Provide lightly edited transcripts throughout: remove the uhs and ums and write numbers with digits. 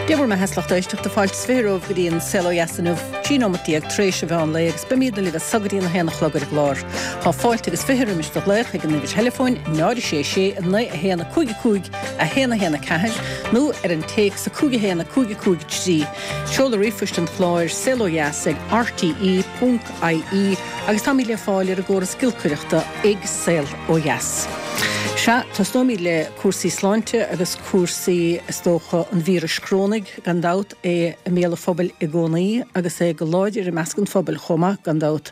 Dia bhur mbeatha, a lucht éisteachta, fáilte is 20 romhaibh go dtí an Saol Ó Dheas inniu, 13 nóimeat tar éis an mheán lae agus beimidne libh as so go dtí an 1 a chlog ar an gclár. Tá fáilte agus 20 roimis do ghlaoch ag an uimhir theileafóin 0 6 6 9 1 5 5 1 1 4 nó ar an téacs 5 1 5 5 3. Seoladh ríomhphoist an chláir, saolodheas ag rte ponc ie agus táimid le fáil ar an gcóras giolcaireachta ag Saol Ó Dheas. Sea, tosnóimid le cúrsaí sláinte agus cúrsaí, is dócha, an víris chorónaigh, gan dabht, é i mbéal an phobail i gcónaí agus é go láidir i measc an phobail chomh maith, gan dabht.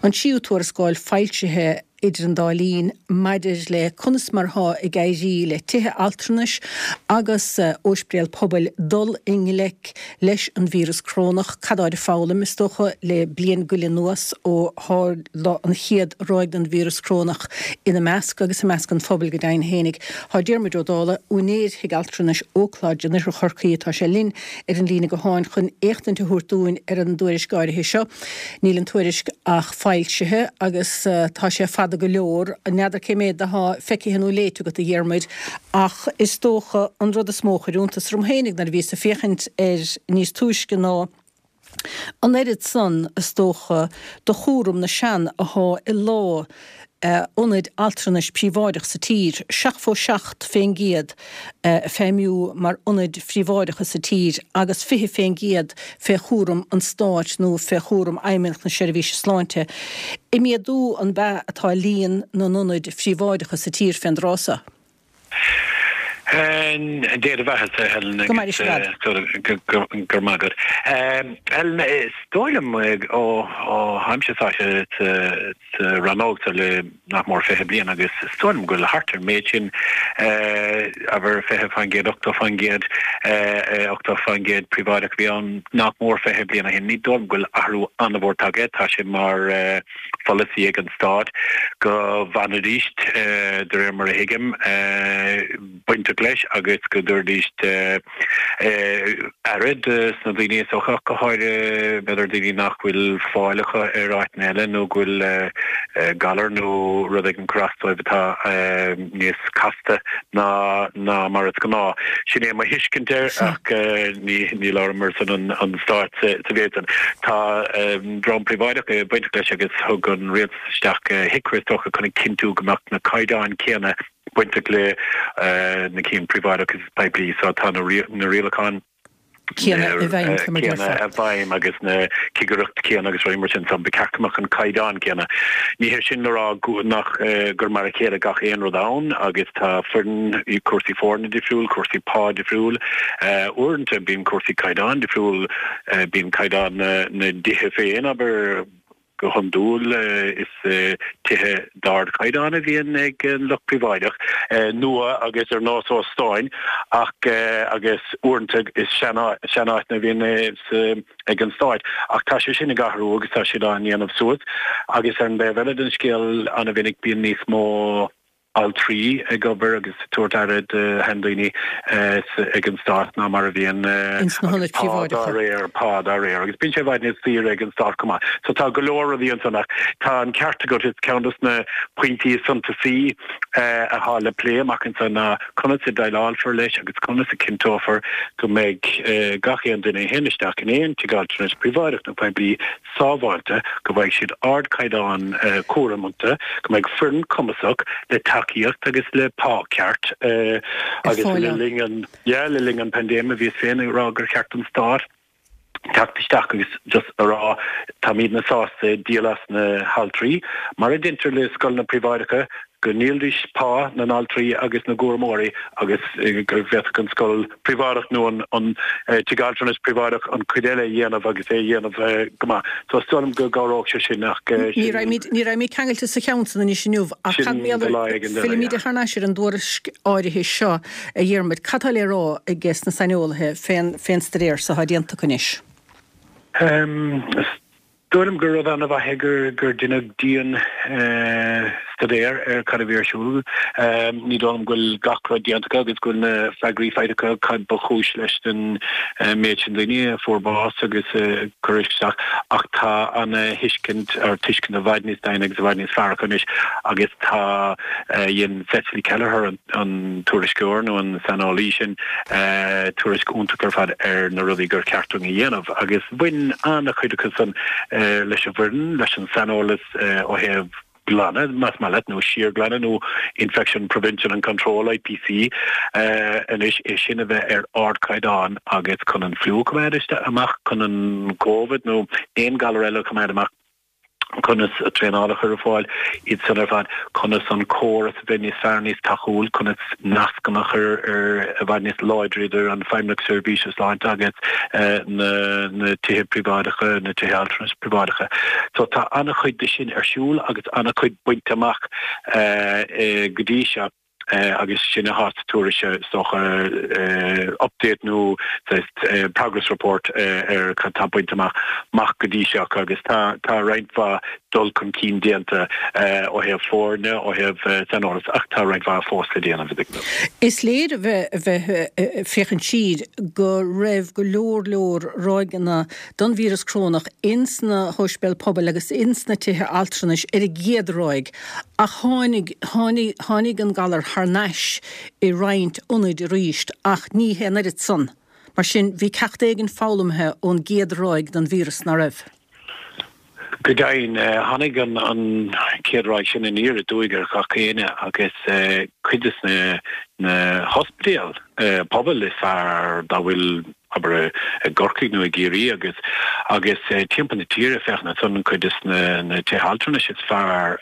An tríú tuarascáil foilsithe idir an dá linn maidir le conas mar atá ag éirí le tithe altranais agus óispidéil pobail dul i ngleic leis an víreas corónach, cad atáid ag foghlaim, is dócha, le bliain go leith anuas ó tharla an chéad ráig den víreas corónach ina measc agus i measc an phobail go deimhin fhéinig. Tá Diarmuid Ó Dálaigh, úinéir Thigh Altranais Oak Lodge in Oirthear Chorcaí, atá sé linn ar an líne gutháin chun éachtaint a thabhairt dúinn ar an dtuairisc áirithe seo. Níl an tuairisc ach foilsithe agus tá sé fada go leor. N'fheadar cé méad athá feicthe nó léite agat, a Dhiarmuid, ach is dócha an rud is mó a chuir iontas orm fhéinig nuair a bhíos ag féachaint air níos túisce ná an oiread san, is dócha, de chúram na sean athá i lámha ionaid altranais príobháideach sa tír, 77% ag feidhmiú mar ionaid phríobháideacha sa tír agus 20% fé chúram an Stáit nó fé chúram Fheidhmeannacht na Seirbhíse Sláinte. Ag méadú an b'ea atá líon na n-ionaid phríobháideacha sa tír fén dtráth so? Dia do bheatha, Helen. Go maire sin agat. Go raibh maith agat. Helen, is dóigh liom ó tháimse sáite sa rannóg seo le nach mór 20 bliain agus is dóigh liom go bhfuil thart ar an méid sin, abair 20%, 80%, 80% príobháideach a bhí ann nach mór 20 bliain ó shin. Ní dóigh liom go bhfuil athrú an-mhór tagtha. Tá sé mar pholasaí ag an Stát go bhfanfaidís, de réir mar a thuigim, bainteach leis agus go dtabharfaidís aire dos na daoine is dócha, ach go háirithe b'fhéidir daoine nach bhfuil fáil acu ar áiteanna eile nó go bhfuil galar nó rud éigin ag cur as dóibh atá níos casta ná ná mar is gnáth. Sin é mo thuiscint air ach ní ní labhraím ar son an Stáit sa mhéid san. Tá dream príobháideach bainteach leis agus thug an rialtas isteach HIQA is dócha chun a chinntiú go mbeadh na caighdeáin céanna bainteach le na cinn príobháideach agus poiblí so tá na rialacháin céanna i bhfeidhm, fé mar céanna i bhfeidhm agus na cigireacht céanna agus rudaí mar sin so ba cheart go mbeadh an caighdeán céanna. Ní hé sin le rá nach gur mar a chéile gach aon rud ann agus tá foireann, cúrsaí foirne difriúil, cúrsaí pá difriúil. Uaireanta bíonn cúrsaí caighdeán difriúil, bíonn caighdeán na dtithe féin, abair, Go hiondúil is tithe d'ardchaighdeán a bhíonn ag an lucht príobháideach, nua agus ar nós óstáin, ach agus uaireanta is seanáiteanna a bhíonn ag an Stát. Ach tá sé sin ag athrú agus tá siad á ndéanamh suas. Agus ar an dtaobh eile den scéal, an-mhinic bíonn níos mó. altraí ag obair agus ag tabhairt aire do sheandaoine ag an Stát ná mar a bhíonn ins na hionaid pá dá réir, pá dá réir. Agus bíonn sé i bhfad níos saoire ag an Stát chomh maith. So tá go leor rudaí ansan ach tá an ceart agat, is ceann dos na pointí is suntasaí atá le plé amach anso ná conas a déileálfar leis agus conas a cinnteofar go mbeidh gach aon duine a théann isteach in aon tigh altranais príobháideach nó poiblí sábháilte, go bhfaighidh siad ardchaighdeán cúraim iontu, go mbeidh foireann cumasach le tacaíocht agus le pá ceart agus le linn an, yeah, le linn an paindéime bhíos féin ag rá gur cheart don stát teacht isteach agus just a rá táimidne sásta díol as na haltraí, mar a deintear le scoileanna príobháideacha, go ndíolfaidís pá na n-altraí agus na gcúramóirí agus go bhféadfadh an scoil phríobháideach nó an tigh altranais príobháideach an chuid eile a dhéanamh agus é a dhéanamh go maith. So is dóigh liom go gcabhródh sé sin ach sin. Ní raghaimid, ní raghaimid ceangailte sa cheann san anois inniu ach cad Sin do lá éigin eile, Fillimid yeah. thar n-ais ar an dtuairisc áirithe seo, a Dhiarmuid. Cad tá le rá ages na saineolaithe fén, fén staidéar so atá déanta acu anois? Is dóigh liom gur rud an-mhaith é gur gur deineadh dian. staidéar ar cad a bhí ar siúl. Ní dóigh liom go bhfuil gach rud déanta acu agus go bhfuil na freagraí faighte acu cad ba chúis leis an méid sin daoine a fuair bás agus a cuireadh isteach ach tá ana-thuiscint or tuiscint i bhfad níos doimhne agus i bhfad níos fearr acu anois agus tá dhein Cecily Kelleher an tuairisceoir nó an saineolaí sin tuairisc iontach ar fad ar na rudaí gur cheart dúinn a dhéanamh agus bhain an-chuid acu san leis an bhfoireann, leis an saineolas ó thaobh glanadh, más maith leat, nó síorghlanadh nó Infection Prevention and Control, IPC, anois, é sin a bheith ar ardchaighdeán agus chun an fliú a choimeád amach, chun an Covid nó aon ghalar eile a choimeád amach. conas traenáil a chur ar fáil, iad san ar fad, conas an córas a bheith níos fearr, níos tacúil, conas nascanna a chur ar i bhfad níos láidre idir an Feidhmeannacht Seirbhíse Sláinte agus na na tithe príobháideacha, na tithe altranais príobháideacha. So tá an-chuid de sin ar siúl agus an-chuid bainte amach go dtí seo. agus sin atá sa tuairisc is dócha update nó progress report ar cad tá bainte amach amach go dtí seo agus tá tá roinnt mhaith dul chun cinn déanta ó thaobh foirne, ó thaobh saineolas ach tá roinnt mhaith fós le déanamh. Is léir a bheith bheith ag féachaint siar go raibh go leor leor ráigeanna don víreas corónach ins na hóispidéil pobail agus ins na tithe altranais ar an gcéad ráig ach tháinig, tháinig, tháinig an galar thar n-ais i roinnt ionaid arís ach ní hé an oiread san. Mar sin, bhí ceacht éigin foghlamtha ón gcéad ráig den víreas, ná raibh? Go deimhin, tháinig an, an chéad ráig sin aniar aduaidh ar gach éinne agus cuid des na, na hospidéil pobail is fearr dá bhfuil abair i gCorcaigh nó i gCiarraí agus agus timpeall na tíre féachaint ansan cuid des na na tithe altranais is fearr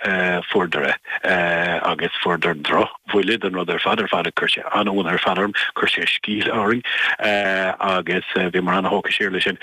fuaireadar é agus fuaireadar drochbhuille den rud ar fad ar fad chuir sé an-ionadh ar fad orm chuir sé sceall orainn agus bhíomar an-thógtha siar leis sin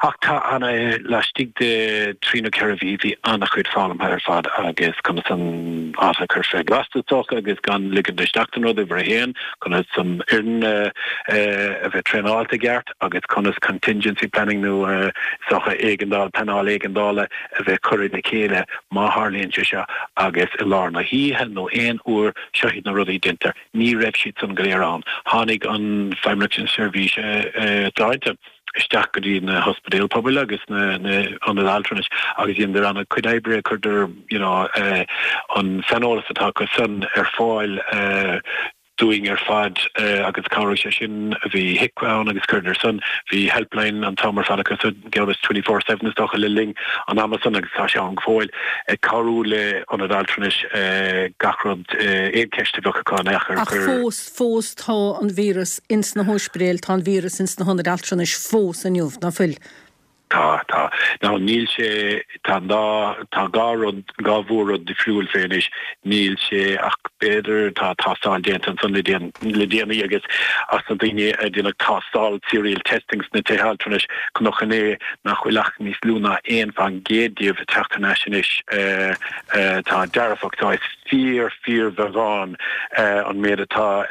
ach tá ana laistigh de thrí nó ceithre mhí bhí an-chuid foghlamtha ar fad agus conas an áit a chur fé ghlas is dócha agus gan ligean isteach don rud uimhir a haon conas an fhoireann a bheith traenáilte i gceart agus conas contingency planning nó is dócha éigeandáil, pleanáil éigeandála a bheith curtha le chéile má tharlaíonn sé seo agus i lár na hoíche nó aon uair, seo iad na rudaí a deintear. Ní raibh siad san go léir ann. Tháinig an Feidhmeannacht na Seirbhíse Sláinte. isteach go dtí na hospidéil pobail agus na hionaid altranais agus dheineadar an-chuid oibre, chuireadar you know an saineolas atá acu san ar fáil dúinn ar fad agus chabhraigh sé sin. Bhí HIQA ann agus chuireadar san, bhí helpline an t-am ar fad acu so geall is 24/7 is dócha le linn an ama san agus tá sé ann go fóill ag cabhrú le hionaid altranais gach rud, aon cheist a bheadh acu an each ar Ach fós, fós tá an víreas ins na hóispidéil, tá an víreas ins na hionaid altranais fós inniu, ná fuil? Tá, tá. Now níl sé, tá an dá, tá dhá rud, dhá mhór-rud difriúil fé anois. Níl sé ach b'fhéidir, tá tástáil déanta ansan le déan, le déanaí agus as na daoine a déanadh tástáil serial testing sna tithe altranais, chonac inné nach bhfuil ach níos lú ná 1% díobh ag teacht thar n-ais anois atá dearfach. So is fíor, fíorbheagán an méid atá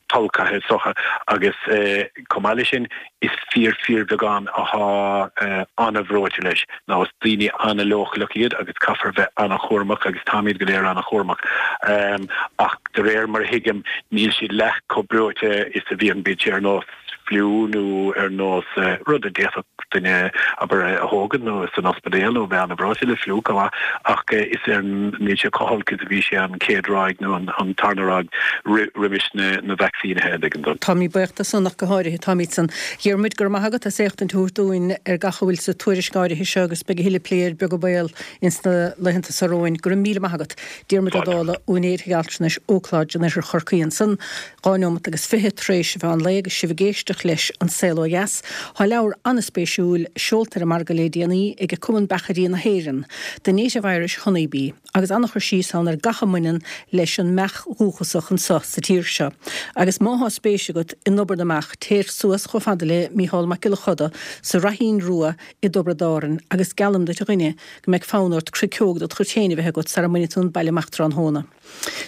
tolgtha is dócha agus chomh maith leis sin is fíor fíorbheagán atá an-bhreoite leis. Now is daoine an-leochaileach iad agus caithfear bheith an-chúramach agus táimid go léir an-chúramach ach de réir mar a thuigim níl siad leath chomh breoite is a bhíonn, bíodh sé ar nós fliú nó ar nós rud a d'fhéadfadh duine, abair, a thógaint nó san ospidéal nó bheith an-bhreoite le fliú chomh maith ach is ar níl sé chomh holc is a bhí sé an chéad ráig nó an tarna ráig roimis na vacsaínithe, an dtuigeann tú. Táimid buíoch de san ach go háirithe, táimid san. Dhiarmuid, go raibh maith agat as éachtaint a thabhairt dúinn ar gach a bhfuil sa tuairisc áirithe seo agus beidh a thuilleadh plé air beag an baol ins na laethanta seo romhainn. Go raibh míle maith agat. Diarmuid Ó Dálaigh, úinéir Thigh Altranais Oak Lodge in Oirthear Chorcaí ansan. 2 neomat agus 20 tar éis an mheán lae agus sibh ag éisteacht leis An Saol Ó Dheas. Tá leabhar an-spéisiúil seolta ar an margadh le déanaí ag Cumann Beachairí na hÉireann, The Native Irish Honey Bee, agus an-chur síos ann ar gach a mbaineann leis an mbeach dhúchasach anso sa tír seo. Agus má thá spéis agat in obair na mbeach, téir suas chomh fada le Mícheál Mac Giolla Choda sa Raithín Rua i dTiobraid Árann agus geallaim duit a dhuine go mbeidh fonn ort cruiceog dod chuid féin a bheith agat sara mbainfidh tú an baile amach tráthnóna.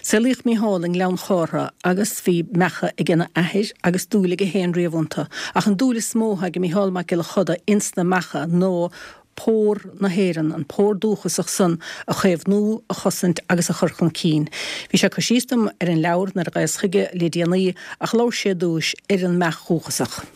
Saolaíodh Mícheál i nGleann Chártha agus bhí beacha ag ena athair agus dúil aige féin riamh iontu. Ach an dúil is mó atá ag Mícheál Mac Giolla Choda ins na beacha ná. Pór na hÉireann, an pór dúchasach san a chaomhnú, a chosaint agus a chur chun cinn. Bhí sé ag cur síos dom ar an leabhar nuair a ghlaos chuige le déanaí ach labhair sé ar dtúis ar an mbeach dhúchasach.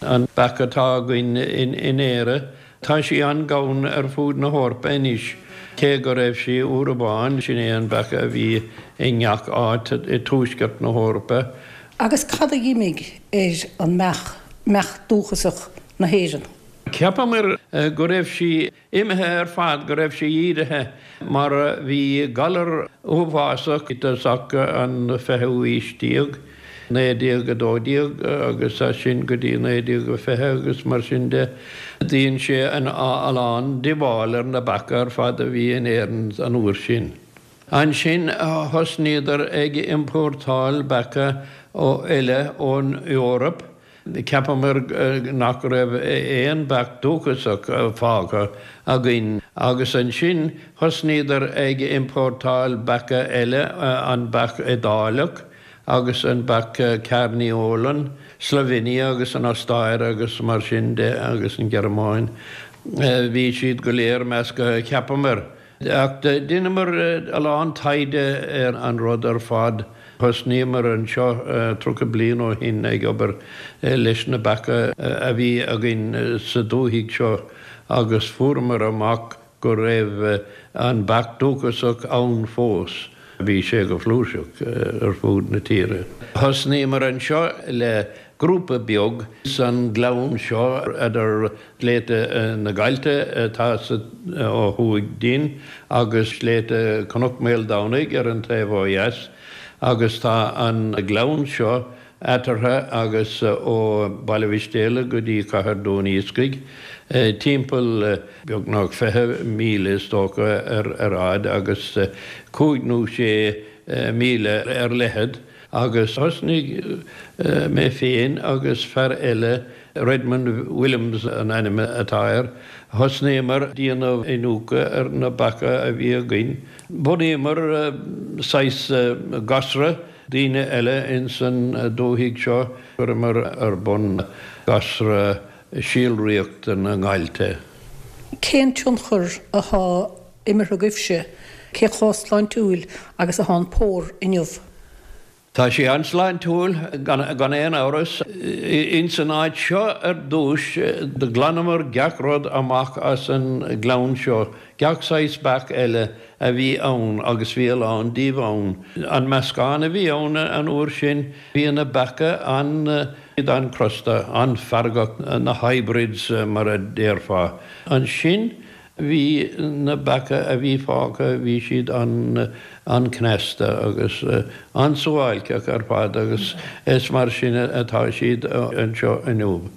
An beach atá againn in Éire, tá sí an-ghann ar fud na hEorpa anois, cé go raibh sí uair amháin, sin é an beach a bhí i ngach áit i dtuaisceart na hEorpa. Agus cad a d'imigh ar an mbeach, mbeach dúchasach na hÉireann? Cheapamar go raibh sí imithe ar fad, go raibh sí ídithe, mar bhí galar uafásach i dtosach an fichiú aois déag, 1912 agus as sin go dtí 1920 agus mar sin de. Dhein sé a lán díobháil ar na beacha ar fad a bhí in Éirinn an uair sin. Ansin thosnaíodar ag iompórtáil beacha eile ón Eoraip Cheapamar nach raibh aon beach dúchasach fágtha againn agus ansin thosnaíodar ag iompórtáil beacha eile, an beach Iodáileach agus an beach Carniolan, Slovenia agus an Ostáir agus mar sin de agus an Ghearmáin. Bhí siad go léir measctha, cheapamar. Ach dheineamar a lán taighde ar an rud ar fad. Thosnaíomar anseo 30 bliain ó shin ag obair leis na beacha a bhí againn sa dúthaigh seo agus fuaireamar amach go raibh an beach dúchasach ann fós. Bhí sé go flúirseach ar fud na tíre. Thosnaíomar anseo le grúpa beag san gleann seo idir Sléibhte na Gaillte atá ó thuaidh dínn agus Sléibhte Chnoc Maoldomhnaigh ar an taobh ó dheas agus tá an gleann seo eatarthu agus ó Baile Mhistéala go dtí Cathair Dún Iascaigh timpeall beagnach 20 míle is dócha ar fhad agus cúig nó sé míle ar leithead. Agus thosnaigh mé féin agus fear eile, Redmond Williams an ainm atá air, thosnaíomar déanamh iniúchadh ar na beacha a bhí againn. Bhunaíomar saghas gasra, daoine eile ins an dúthaigh seo, chuireamar ar bun gasra síolraíochta na ngailte. Cén tionchar athá imeartha agaibhse? Cé chomh sláintiúil agus athá an pór inniu? Tá sé an-sláintiúil, gan aon amhras. Ins an áit seo ar dtúis, do ghlanamar gach rud amach as an ngleann seo, gach saghas beach eile a bhí ann, agus bhí a lán díobh ann. An meascán a bhí ann an uair sin, bhí na beacha an-chrosta, an-fheargach, na hybrids mar a déarfá. Ansin Bhí na beacha a bhí fágtha, bhí siad an-cneasta agus an-suáilceach ar fad agus is mar sin atá siad anseo inniu.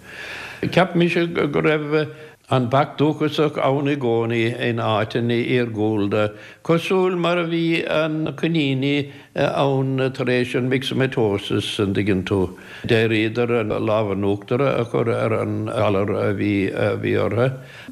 Cheap mise go raibh an beach dúchasach ann i gcónaí in áiteanna iargúlda, cosúil mar a bhí na coiníní ann tar éis an myxomatosis, an dtuigeann tú. D'éiríodar an lámh in uachtar a chur ar an ghalar a bhí orthu.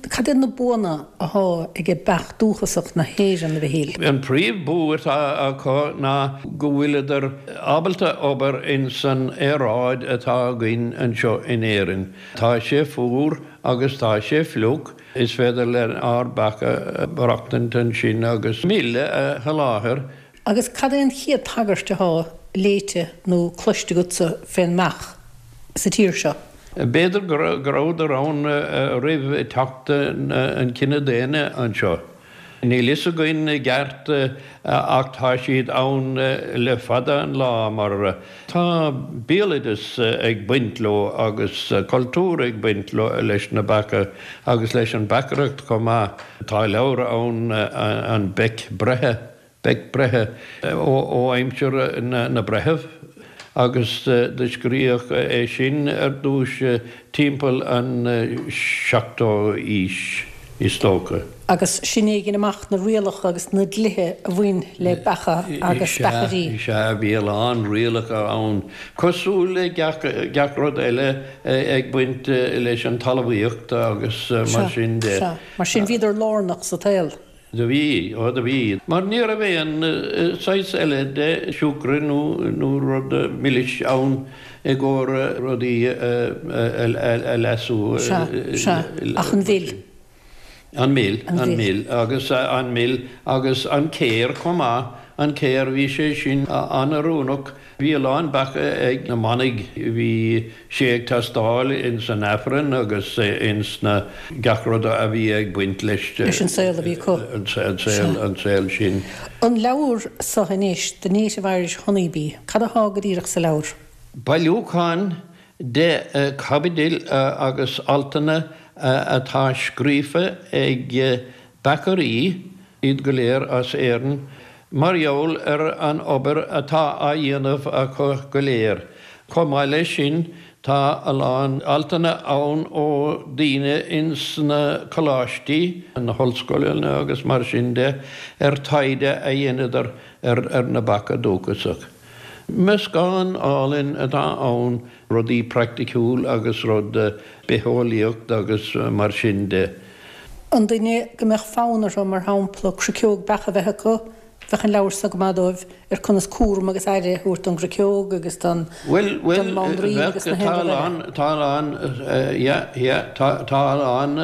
Cad iad na buanna athá aige beach dúchasach na hÉireann, a Mhichíl? An príomh bua atá acu ná go bhfuileadar ábalta obair ins an aeráid atá againn anseo in Éirinn. Tá sé fuar agus tá sé fliuch, is féidir lenár beacha maireachtaint ansin agus mil a sholáthar. Agus cad é an chéad tagairt athá léite nó cloiste agatsa fén mbeach sa tír seo? B'fhéidir go rabhadar ann roimh teacht an chine daonna anseo. Níl fhios againn i gceart ach tá siad ann le fada an lá mar tá béaloideas ag baint leo agus cultúr ag baint leis na beacha agus leis an beachaireacht chomh maith. Tá leabhar ann An Beach Breithe Bec Breithe ó aimsir na breitheamh agus do scríodh é sin ar dtúis timpeall an seachtú aois is dócha. Agus sin é a dhein amach na rialacha agus na dlíthe a bhain le beacha agus beachairí. Is ea, bhí a lán rialacha ann, cosúil le gach rud eile ag baint leis an talmhaíocht agus mar sin de. Sea, mar sin bhíodar lárnach sa tsaol. Do bhí, ó do bhí. Mar ní raibh aon saghas eile de siúcra nó rud milis ann i gcomhair rudaí a leasú. Sea, sea, ach an mhil. An mil, an mil, agus an mil agus an céir chomh maith, an céir, bhí sé sin an-oiriúnach, bhí a lán beacha ag na manaigh, bhí sé ag teastáil ins an Aifreann agus ins na, gach rud a bhí ag baint leis. Leis an saol a bhí acu. An saol, an saol sin. An leabhar so anois, The Native Irish Honey Bee, cad athá go díreach sa leabhar? Bailiúchán de chaibidil agus altanna atá scríofa ag beachairí, iad go léir as Éirinn, mar gheall ar an obair atá á dhéanamh acu go léir. Chomh maith leis sin, tá a lán altanna ann ó daoine ins na coláistí, na hollscoileanna agus mar sin de, ar taighde a dheineadar ar na beacha dúchasach. Meascán álainn atá ann, rudaí praiticiúil agus rud bitheolaíocht agus mar sin de. An duine go mbeadh fonn orthu, mar shampla, craiceog beach a bheith acu, bheadh an leabhar so go maith dóibh ar conas cúram agus aire a thabhairt don gcraiceog agus don Bhuel, bhuel, mbanríon agus na bheadh, tá a haon rud eile. lán, tá a lán, yeah, yeah, tá, tá a lán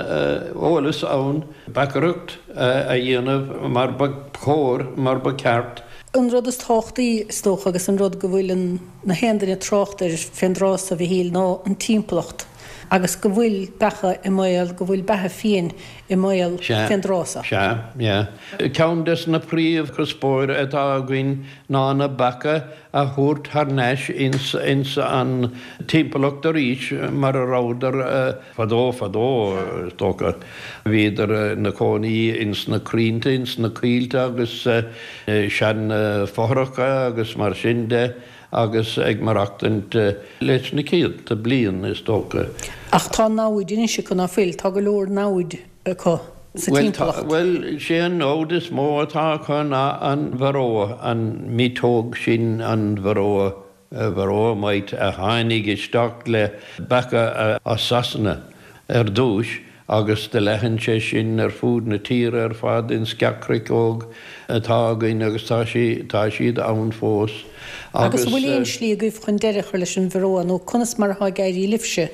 eolas ann, beachaireacht a dhéanamh mar ba chóir, mar ba cheart. An rud is tábhachtaí, is dócha, agus an rud go bhfuil an na haon duine ag trácht air fén dtráth so, a Mhichíl, ná an timpeallacht agus go bhfuil beacha i mbaol, go bhfuil beatha fiain i mbaol fén dtráth so. Sea, sea. Ceann des na príomhchuspóir atá againn ná na beacha a thabhairt thar n-ais ins ins an timpeallacht arís mar a rabhadar fadó fadó, is dócha. Bhíodar 'na cónaí ins na crainnte, ins na coillte agus sean fothracha agus mar sin de agus ag maireachtaint leis na céadta bliain, is dócha. Ach tá namhaid anois acu, ná fuil? Tá go leor namhaid acu sa timpeallacht. Bhuel, sé an namhaid is mó atá acu ná an varroa, an mhiotóg sin, an varroa Varroa mite a tháinig isteach le beacha as Sasana ar dtúis agus do leathan sé sin ar fud na tíre ar fad ins gach craiceog atá againn agus tá sí, tá siad ann fós Agus an bhfuil aon slí agaibh chun deireadh a chur leis an varroa nó conas mar atá ag éirí libhse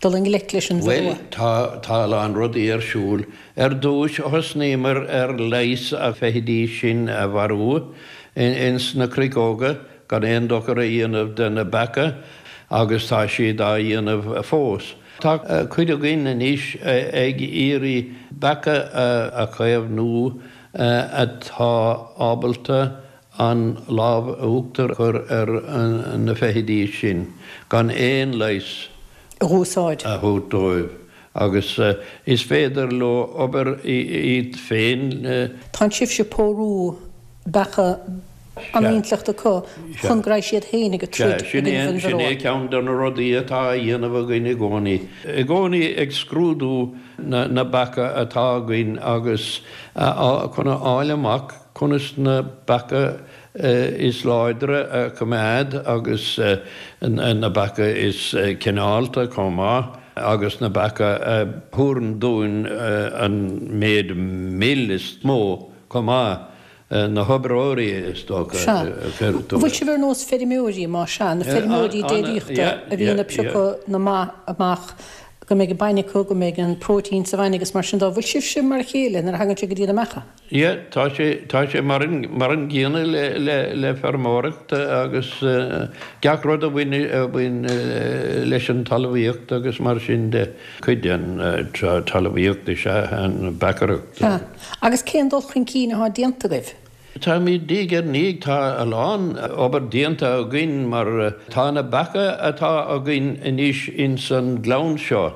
dul i ngleic leis an Bhuel, varroa? tá, tá a lán rudaí ar siúl. Ar dtúis thosnaíomar ar leigheas na feithidí sin a mharú ins na craiceoga gan aon dochar a dhéanamh de na beacha agus tá siad á dhéanamh fós. Tá cuid againn anois ag iarraidh beacha a chaomhnú atá ábalta an lámh uachtar a chur ar na feithidí sin gan aon leigheas a úsáid. a thabhairt dóibh agus is féidir leo obair iad féin. Tánn sibhse ag pórú beacha an-intleachta acu chun go raghaidh siad féin ag troid i gcoinnibh an varroa. Sin é ceann de na rudaí atá á dhéanamh againn i gcónaí. I gcónaí ag scrúdú na beacha atá againn agus chun a fháil amach conas na beacha is láidre a choimeád agus na beacha is cineálta chomh maith agus na beacha a thabharann dúinn an méid mil is mó chomh maith. Na hoibreoirí is dócha. Sea. An bhfuil sibh ar nós feirmeoirí, más ea, na feirmeoirí déiríochta a bhíonn ag piocadh na mba amach go mbeidh an bainne acu, go mbeidh an próitéin sa bhainne agus mar sin de. An bhfuil sibhse mar a chéile nuair a thagann sé go dtí na mbeacha? Yeah, tá sé, tá sé mar an, mar an gcéanna le, le, le feirmeoireacht agus gach rud a bhain, a bhain leis an talmhaíocht agus mar sin de. Cuid den talmhaíocht is ea an beachaireacht. Sea. Agus cén dul chun cinn atá déanta agaibh? Táimid diaidh ar ndiaidh, tá a lán obair déanta againn mar tá na beacha atá againn anois ins an gleann seo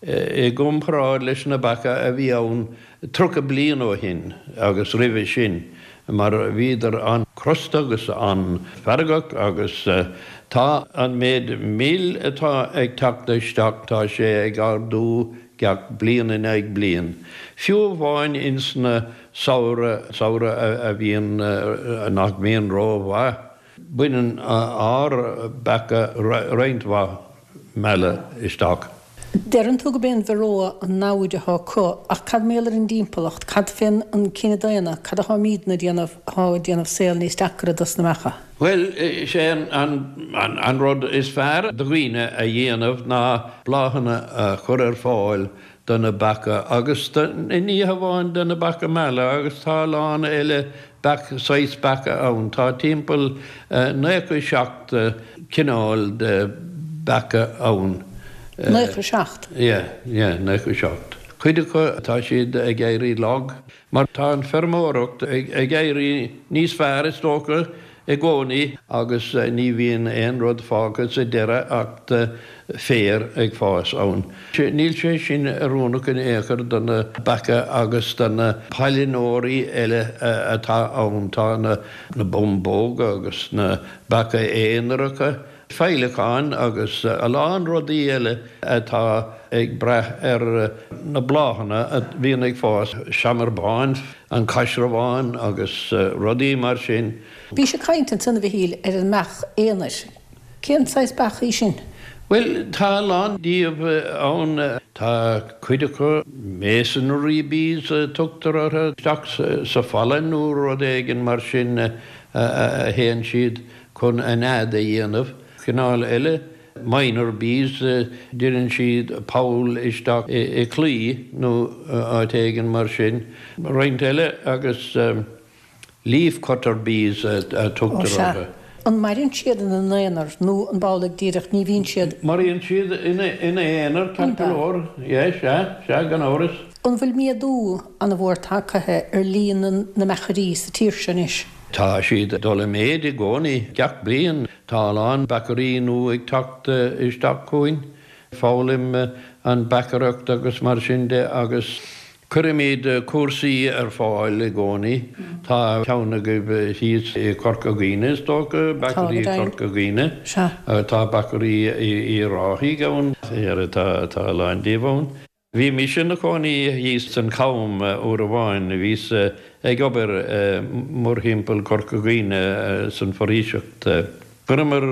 i gcomparáid leis na beacha a bhí ann 30 bliain ó shin agus roimhe sin mar bhíodar an-chrosta agus an-fheargach agus tá an méid mil atá ag teacht isteach tá sé ag ardú gach bliain in aghaidh bliain, fiú amháin ins na samhradh, samhradh a bhíonn, nach mbíonn ró-mhaith, baineann ár beacha roinnt mhaith meala isteach. Deireann tú go b'é an varroa an namhaid atá acu, ach cad mar gheall ar an dtimpeallacht, cad fén an cine daonna, cad atáimídne a déanamh atá ag déanamh saol níos deacra dos na mbeacha? Bhuel, is é an rud is fearr do dhaoine a dhéanamh ná bláthanna a chur ar fáil. do na beacha agus ní hamháin do na beacha meala agus tá a lán eile beach, saghas beacha ann. Tá timpeall 97 cineál de beacha ann. 97? Yeah, yeah, 97. Cuid acu tá siad ag éirí lag mar tá an feirmeoireacht ag éirí níos fearr is dócha i gcónaí agus ní bhíonn aon rud fágtha sa deireadh acht féar ag fás ann. Níl sé sin oiriúnach in aon chor do na beacha agus do na pailneoirí eile atá ann. Tá na bumbóga agus na beacha aonaracha, féileacáin agus a lán rudaí eile atá ag brath ar na bláthanna a bhíonn ag fás, seamair bán, an caisearbhán agus rudaí mar sin. Bhís ag caint ansan, a Mhichíl, ar an mbeach aonair. Cén saghas beach í sin? Bhuel, tá a lán díobh ann. Tá cuid acu, masonry bees a tugtar orthu, isteach sa falla nó rud éigin mar sin a théann siad chun a nead a dhéanamh. Cineál eile, miner bees, déanann siad poll isteach i claí nó áit éigin mar sin. Roinnt eile agus leaf cutter bees a tugtar Ó sea. orthu. An maireann siad ina n-aonar nó an amhlaidh díreach ní bhíonn siad. Maireann siad ina n-aonar, ceart go leor. Yeah, sea, sea, gan amhras. An bhfuil méadú an-mhór tagtha ar líon na mbeachairí sa tír seo anois? Tá siad ag dul i méid i gcónaí. Gach bliain tá a lán beachairí nua ag teacht isteach chugainn, foghlaim an beachaireacht agus mar sin de agus cuirimid cúrsaí ar fáil i gcónaí. Tá ceann agaibh thíos i Corca Dhuibhne is dócha, Beachairí Chorca Dhuibhne. Tá Beachairí Uíbh Ráthaigh ann, tá a lán díobh ann. Bhí mise ina chónaí thíos san Cham uair amháin. Bhíos ag obair mórthimpeall Chorca Dhuibhne san foraoiseacht. Chuireamar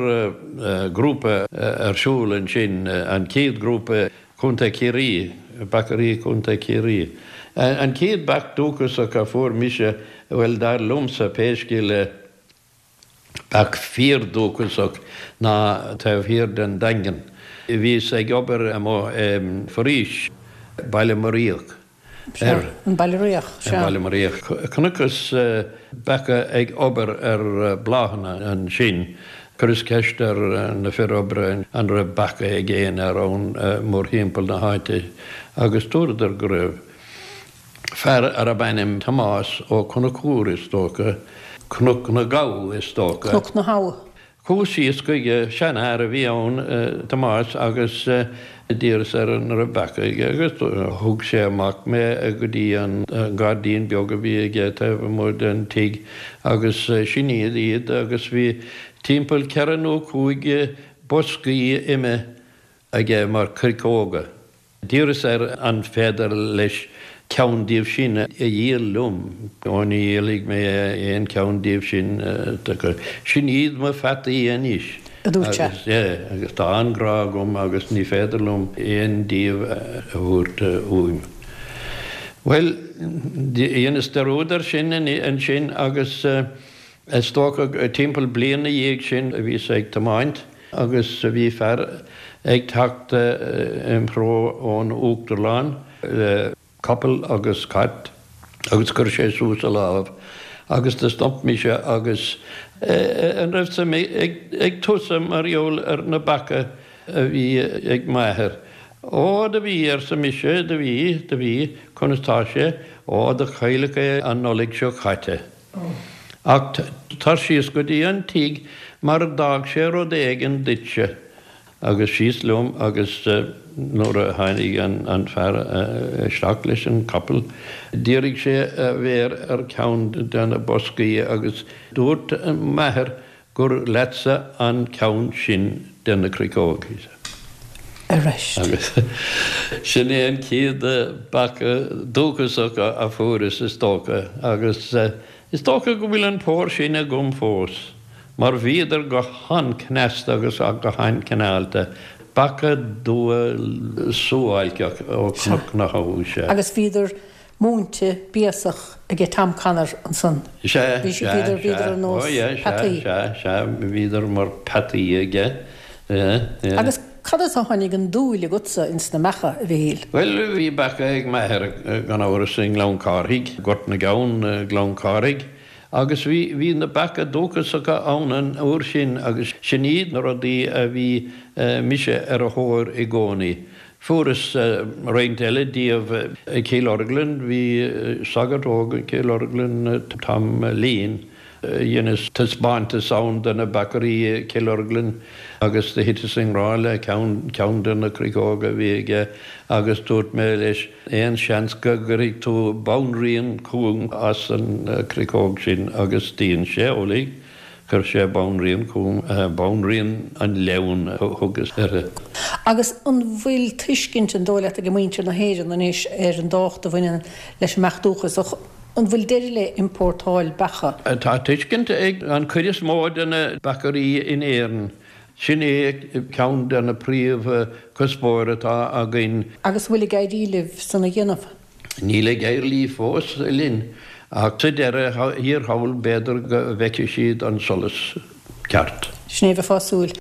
grúpa ar siúl ansin, an chéad grúpa Chontae Chiarraí, Beachairí Chontae Chiarraí. An chéad beach dúchasach a fuair mise, bhuel dar liomsa pé scéal é, Beach fíordhúchasach ná taobh thiar den Daingean. Bhíos ag obair amuigh i bhforaois, Baile Muiríoch ar. An Baile Riach, sea. An Baile Muiríoch. Chonaiceas beacha ag obair ar bláthanna ansin. Chuireas ceist ar na fir oibre an raibh beacha ag aon fhear ann mórthimpeall na háite agus dúradar go raibh. Fear arb ainm Tomás Ó Conchúir, is dócha, Cnoc na gCabh, is dócha. Cnoc na hAbha. Chuas síos chuige, seanfhear a bhí ann, Tomás, agus d'iarras air an raibh beacha aige agus thug sé amach mé go dtí an gairdín beag a bhí aige taobh amuigh den tigh agus sin iad iad agus bhí timpeall ceithre nó chúig boscaí ime aige mar cricóga. D'iarras air an féidir leis ceann díobh sin a dhíol liom. Ó ní dhíolfaidh mé aon cheann díobh sin. Sin iad mo pheataí anois. a dúirt sé. Agus tá an-ghrá agam agus ní féidir liom aon díobh a thabhairt uaim. Bhuel, dheineas dearúd air sin ansin agus is dócha timpeall bliain 'na dhiaidh sin bhíos ag tiomáint agus bhí fear ag teacht im threo ón Uachtarlann le capall agus cat agus chuir sé suas a lámh agus do stop mise agus an raibh suim ag tusa mar gheall ar na beacha a bhí ag m'athair. Ó do bhí, arsa mise, do bhí, do bhí, conas tá sé, ó do cailleadh é an Nollaig seo caite. Ach tar síos go dtí an tigh mar d'fhág sé rud éigin duitse. Agus síos liom agus nuair a tháinig an fear isteach leis an capall dhírigh sé a mhéar ar cheann de na boscaí agus dúirt m'athair gur leatsa an ceann sin de na cricógaí. Arís. Agus sin é an chéad beach dúchasach a fuaireas, is dócha, agus is dócha go bhfuil an pór sin agam fós, mar bhíodar go han-chneasta agus go han-chineálta, beacha dubha suáilceach ó Chnoc na hAbha, sea. Agus bhíodar múinte béasach aige Tom Connor ansan. Sea, sea, sea. Bhíodar, bhíodar ar nós Ó, yeah, sea, peataí. sea, sea, bhíodar mar peataí aige, yeah, yeah. Agus. Cad as a tháinig an dúil agatsa ins na beacha, a Mhichíl? Bhuel, bhí beacha ag m'athair, gan amhras, i nGleann Cárthaigh, Gort na gCeann, Gleann Cárthaigh, agus bhí, bhí na beacha dúchasacha ann an uair sin agus sin iad na rudaí a bhí mise ar a thóir i gcónaí. Fuaireas roinnt eile díobh i Cill Orglan, bhí sagart óg i Cill Orglan, Tom Leen, Dheineas taispeántas ann de na beachairí i Cill Orglan agus do thiteas i ngrá le ceann, ceann de na cricóga a bhí aige agus dúirt mé leis, aon seans go gcuirfidh tú banríon chugam as an cricóg sin agus dhein sé amhlaidh. Chuir sé banríon chugam, banríon an ghleann a thugas uirthi. Agus an bhfuil tuiscint, an dóigh leat, ag muintir na hÉireann anois ar an dtábhacht a bhaineann leis an mbeach dúchasach? An bhfuil deireadh le iompórtáil beacha? Tá tuiscint ag an chuid is mó de na beachairí in Éirinn. Sin é ceann de na príomh chuspóir atá againn. Agus an bhfuil ag éirí libh san a dhéanamh? Níl ag éirí fós linn, ach sa deireadh thiar thall b'fhéidir go bhfeicfidh siad an solas ceart. Sin é a bheifeá ag súil.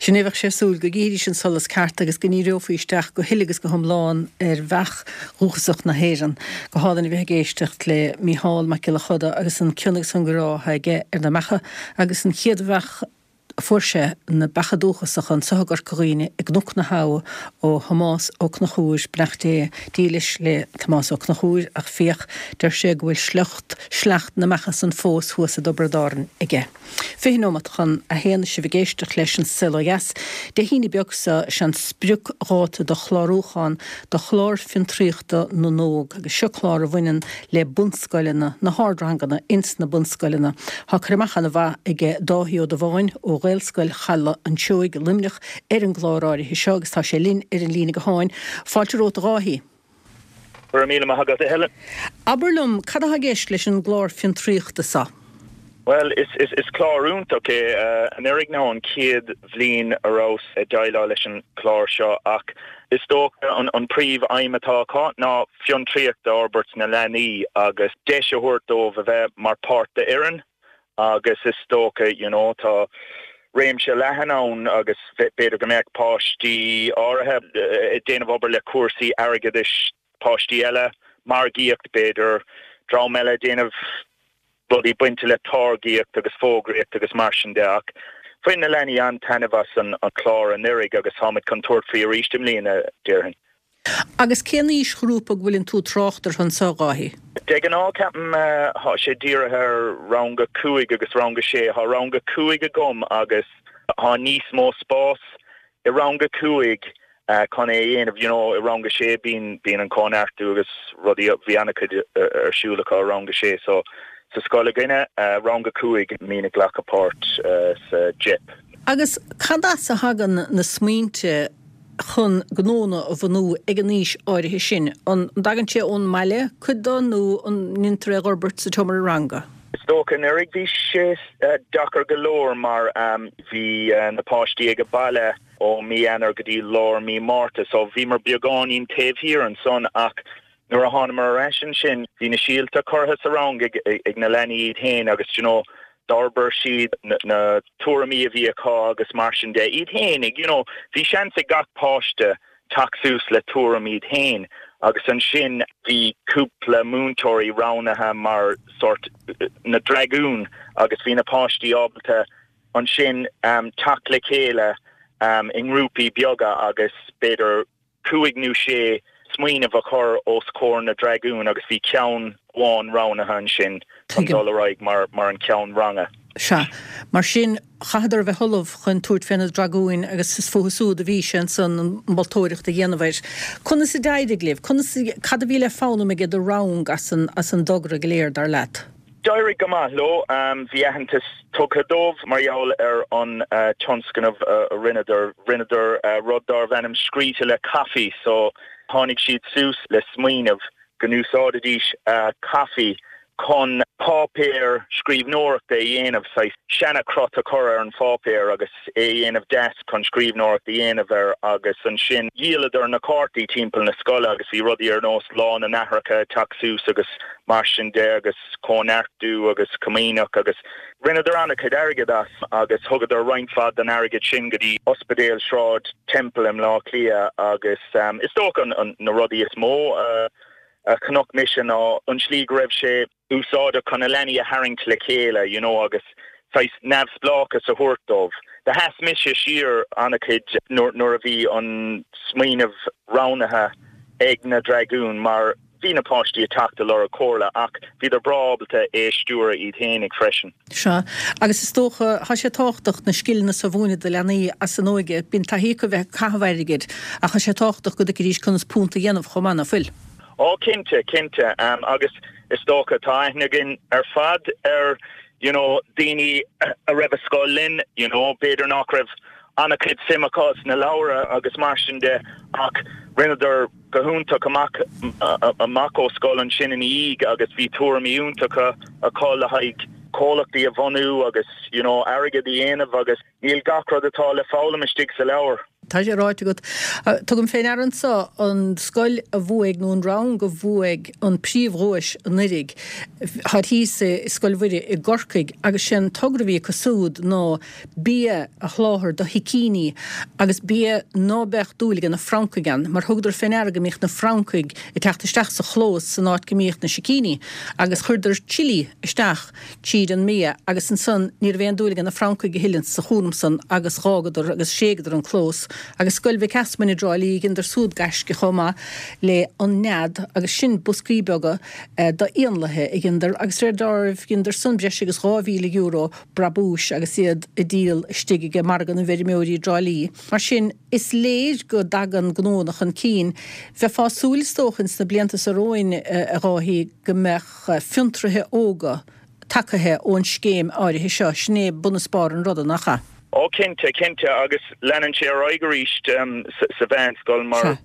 Sin é a bheadh sé ag súil, go gcífidís an solas ceart agus go ndíreofaí isteach go huile agus go hiomlán ar bheach dhúchasach na hÉireann. Go hálainn a bheith ag éisteacht le Mícheál Mac Giolla Choda agus an cion agus an grá atá aige ar na beacha agus an chéad bheach a fuair sé, na beacha dúchasacha anso i gCorca Dhuibhne i gCnoc na hAbha ó Thomás Ó Conchúir, beannacht Dé dílis le Tomás Ó Conchúir ach féach, deir sé go bhfuil sliocht, sleacht na mbeacha san fós thuas i dTiobraid Árann aige. 20 nóimeat chun a haon is sibh ag éisteacht leis An Saol Ó Dheas. Dé hAoine beag seo is é an spriocdháta do chlárúchán do Chlár Fiontraíochta na nÓg agus seo clár a bhaineann le bunscoileanna, na hardranganna ins na bunscoileanna. Tá cur amach ana mhaith aige Dáithí Ó Dubháin ó Ghaelscoil Chaladh an tSeoigh i Luimneach ar an gclár áirithe seo agus tá sé linn ar an líne gutháin. Fáilte romhat a Dháithí. Go raibh míle maith agat, a Helen. Abair liom, cad atá i gceist leis an gclár fiontraíochta seo? Bhuel, is clár iontach é. Anuraidh ná an chéad bhliain a rabhas ag déileáil leis an chlár seo ach is dócha an príomh aidhm atá acu ná fiontraíocht a fhorbairt sna leanaí agus deis a thabhairt dóibh a bheith mar páirt d'fhoireann agus is dócha you know tá réimse leathan ann agus b'fhéidir go mbeadh páistí áirithe ag déanamh obair le cúrsaí airgeadais, páistí eile, margaíocht b'fhéidir, dream eile ag déanamh rudaí bainte le táirgíocht agus fógraíocht agus mar sin de ach bhain na leanaí an-taitneamh as an chlár anuraidh agus táimid chun tabhairt faoi arís i mbliana, déarfainn. Agus cén aoisghrúpa go bhfuileann tú ag trácht orthu anso, a Dháithí? De ghnáth, ceapaim, thá sé dírithe ar rang a 5 agus rang a 6. Thá rang a 5 agam agus thá níos mó spás i rang a 5 chun é a dhéanamh. You know, i rang a 6 bíonn, bíonn an cóineartú agus rudaí, bhí an-chuid ar siúl acu i rang a 6. So, sa scoil againne, rang a 5, mbíonn ag glacadh páirt sa JEP. Agus cad as a thagann na smaointe chun gnónna a bhunú ag an aois áirithe sin? An dtagann sé ón mbaile, cuid de, nó an ndéantar é a dh'fhorbairt sa tseomra ranga? Is dócha anuraidh bhí sé deacair go leor mar bhí na páistí ag baile ó mí Eanáir go dtí lár mí Márta so bhíomar beagáinín taobh thiar ansan ach nuair a thánamar ar ais ansin bhí na síolta curtha sa rang ag na leanaí iad féin agus you know d'fhorbair siad na tuairimí a bhí acu agus mar sin de iad féinig you know bhí seans ag gach páiste teacht suas le tuairim iad féin agus ansin bhí cúpla múinteoirí roghnaithe mar sort na dragúin agus bhí na páistí ábalta ansin teacht le chéile i ngrúpaí beaga agus b'fhéidir cúig nó sé smaoineamh a chur os comhair na dragún agus bhí ceann amháin roghnaithe ansin chun dul ar aghaidh mar mar an ceann ranga. Sea. Mar sin, chaitheadar a bheith ullamh chun tabhairt fé na dragúin agus is fúthu súd a bhí sé ansan an mholtóireacht a dhéanamh air. Conas a d'éirigh libh? Conas, cad a bhí le foghlaim ag do rang as an, as an dtogra go léir, dar leat? D'éirigh go maith leo. Bhí aitheantas tugtha dóibh mar gheall ar an tionscnamh a rinneadar. Rinneadar rud darbh ainm Scríte le Caife so tháinig siad suas le smaoineamh go n-úsáidfidís caife. chun páipéar scríbhneoireachta a dhéanamh, saghas seana-chrot a chur ar an pháipéar agus é a dhéanamh deas chun scríbhneoireacht a dhéanamh air agus ansin dhíoladar na cártaí timpeall na scoile agus bhí rudaí ar nós Lá na nAithreacha ag teacht suas agus mar sin de agus Cóineartú agus Comaoineach agus rinneadar an-chuid airgid as agus thugadar roinnt mhaith den airgead sin go dtí Ospidéal Shráid Temple i mBleá Cliath agus is dócha na rudaí is mó a a chonaic mise ná an tslí go raibh sé úsáideach chun na leanaí a tharraingt le chéile you know agus saghas neamhspleáchas a thabhairt dóibh. Do sheas mise siar an-chuid nuair a bhí an smaoineamh roghnaithe ag na Dragúin mar bhí na páistí ag teacht ag lorg comhairle ach bhíodar breá ábalta é a stiúradh iad fhéinig freisin. Sea, agus is dócha, tá sé tábhachtach na scileanna so a mhúineadh do leanaí as a n-óige. Bíonn taithí acu bheith ag caitheamh airgid ach tá sé tábhachtach go dtuigfidís conas punt a dhéanamh chomh maith, ná fuil? Ó, cinnte, cinnte. Agus is dócha, tá aithne againn ar fad ar you know daoine a raibh i scoil linn, you know, b'fhéidir nach raibh an-chuid suim acu sna leabhra agus mar sin de ach rinneadar go hiontach amach amach ó scoil ansin ina dhiaidh agus bhí tuairimí iontacha acu le haghaidh comhlachtaí a bhunú agus you know airgead a dhéanamh agus níl gach rud atá le foghlaim istigh sa leabhar. Tá sé ráite agat. Tugaim fé ndeara anso an scoil a bhuaigh nó an rang a bhuaigh an príomhdhuais anuiridh, táid thíos i Scoil Mhuire i gCorcaigh agus sé an togra a bhí acu súd ná bia a sholáthar do shicíní agus bia ná beadh dúil age na francaigh ann, mar thugadar fé ndeara go mbíodh na francaigh ag teacht isteach sa chlós san áit go mbíodh na sicíní agus chuireadar chilli isteach tríd an mbia agus ansan ní raibh aon dúil age na francaigh a thuilleadh sa chúram san agus dh'fhágadar agus thréigeadar an clós. Agus Scoil Mhic Easmainn i dTrá Lí dheineadar súd gaisce chomh maith le An Nead agus sin boscaí beaga d'éanlaithe a dheineadar agus de réir dealraimh dheineadar san breis agus €2,000 brabúis agus iad ag díol istigh age Margadh na bhFeirmeoirí i dTrá Lí. Mar sin, is léir go dtagann gnóanna chun cinn. Bheifeá ag súil is dócha ins na blianta so romhainn, a Dháithí, go mbeadh fiontraithe óga tacaithe ón scéim áirithe seo. Sin é bun is barr an ruda, nach ea? Ó cinnte, cinnte, agus leanann sé ar aghaidh arís sa mheánscoil mar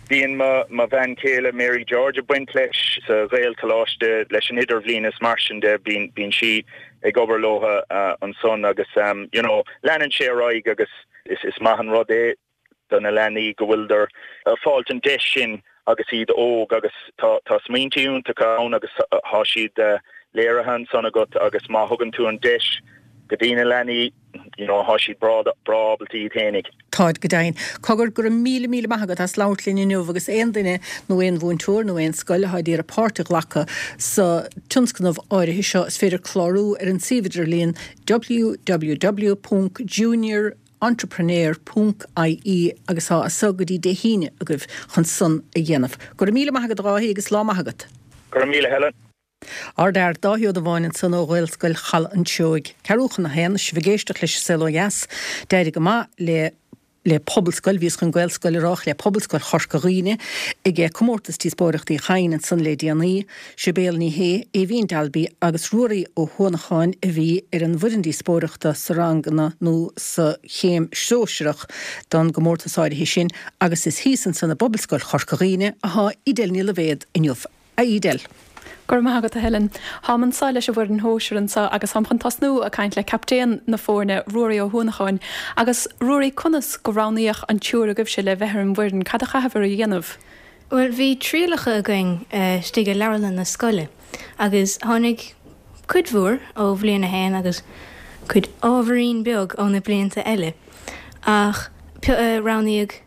bíonn mo bhean chéile Mary George ag baint leis sa Ghaelcholáiste leis an idirbhliain is mar sin de, bíonn sí ag obair leo ansan agus you know leanann sé ar aghaidh agus is maith an rud é do na leanaí go bhfuileadar ag fáilt an deis sin agus iad óg agus tá tá smaointe iontacha ann agus tá siad léirithe ansan agat agus má thugann tú an deis go dtí na leanaí you know tá siad breá breá ábalta iad fhéinig. Táid go deimhin. Cogar, go raibh míle míle maith agat as labhairt linn inniu agus aon duine nó aon mhúinteoir nó aon scoil atá ag iarraidh páirt a ghlacadh sa tionscnamh áirithe seo is féidir clárú ar an suíomh idirlíon www.juniorentrepreneur ponc ie agus tá as so go dtí Dé hAoine agaibh chun san a dhéanamh. Go raibh míle maith agat a Dháithí agus lá maith agat. Go raibh míle Helen. Ár bhfear, Dáithí Ó Dubháin ansan ó Ghaelscoil Chaladh an tSeoigh. Ceathrú chun a haon, sibh ag éisteacht leis An Saol Ó Dheas. D'éirigh go maith le le Pobalscoil, bhíos chun Gaelscoil a rá, ach le Pobalscoil Chorca Dhuibhne ag Comórtas Díospóireachta Uí Chadhain ansan le déanaí. Sibéal Ní Shé, Aoibhín Dalby agus Ruairí Ó hUanacháin a bhí ar an bhfoireann díospóireachta sa ranganna nó sa chéim shóisearach don gcomórtas áirithe sin agus is thíos ansan i bPobalscoil Chorca Dhuibhne athá Edel Ní Loibhéad inniu. A Edel. Go raibh maith agat, a Helen. Táim anseo leis an bhfoireann shóisir anseo agus táim chun tosnú ag caint le captaen na foirne, Ruairí Ó hUanacháin. Agus, Ruairí, conas go roghnaíodh an triúr agaibhse le bheith ar an bhfoireann? Cad a chaitheabhair a dhéanamh? Bhuel, bhí trialacha againn istigh i leabharlann na scoile agus tháinig cuid mhór ó bhliain a haon agus cuid ábhairín beag ó na blianta eile ach roghnaíodh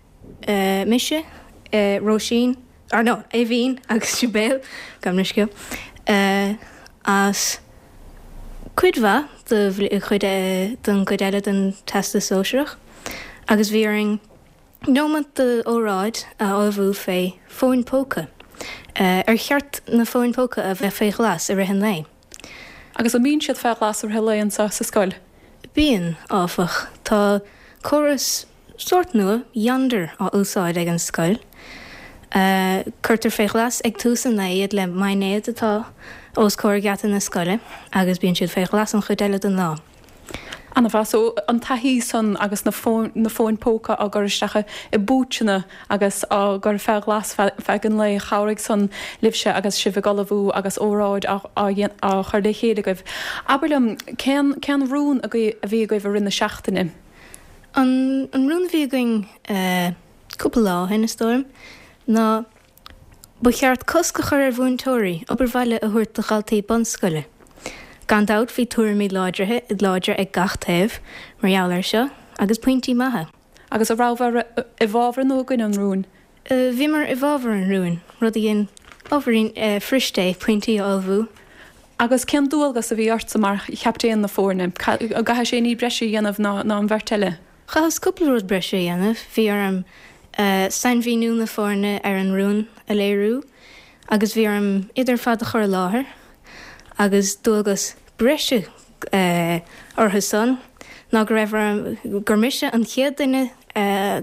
mise, Róisín, or no, Aoibhín agus Sibéal, gabh mo leithscéal, as cuid mhaith de chuid den gcuid eile den Teastas Sóisearach agus bhí orainn neomat d'óráid a ullmhú fé fóin póca. Ar cheart na fóin póca a bheith fé ghlas i rith an lae? Agus an mbíonn siad fé ghlas i rith an lae anseo sa scoil? Bíonn, áfach. Tá córas sórt nua, Yonder, á úsáid ag an scoil. Cuirtear fé ghlas ag tús an lae iad le maighnéad atá os comhair gheata na scoile agus bíonn siad fé ghlas an chuid eile den lá. Ana-mhaith. So, an taithí san agus na fóin, na fóin póca á gcur isteach i bpúitseanna agus á gcur fé ghlas feadh an lae, chabhraigh san libhse agus sibh ag ullmhú agus óráid á, á, á chur le chéile agaibh. Abair liom, cén, cén rún a bhí agaibh i rith na seachtaine? An, an rún a bhí againn eh cúpla lá ó shin, is dóigh liom, ná Ba cheart cosc a chur ar mhúinteoirí obair bhaile a thabhairt do dhaltaí bunscoile. Gan dabht bhí tuairimí láidrithe láidre ag gach taobh mar gheall air seo, agus pointí maithe. Agus an rabhabhair i bhfabhar nó i gcoinne an rúin? Bhíomar i bhfabhar an rúin, rud a dhein ábhairín fuirist pointí a ullmhú. Agus cén dualgas a bhí ortsa mar chaptaen na foirne? An gcaithfidh sé ní breise a dhéanamh ná an bheirt eile? Chaitheas cúpla rud breise a dhéanamh, bhí orm sainmhíniú na foirne ar an rún a léiriú agus bhí orm iad ar fad a chur i láthair agus dualgas breise orthu san ná go raibh orm, gur mise an chéad duine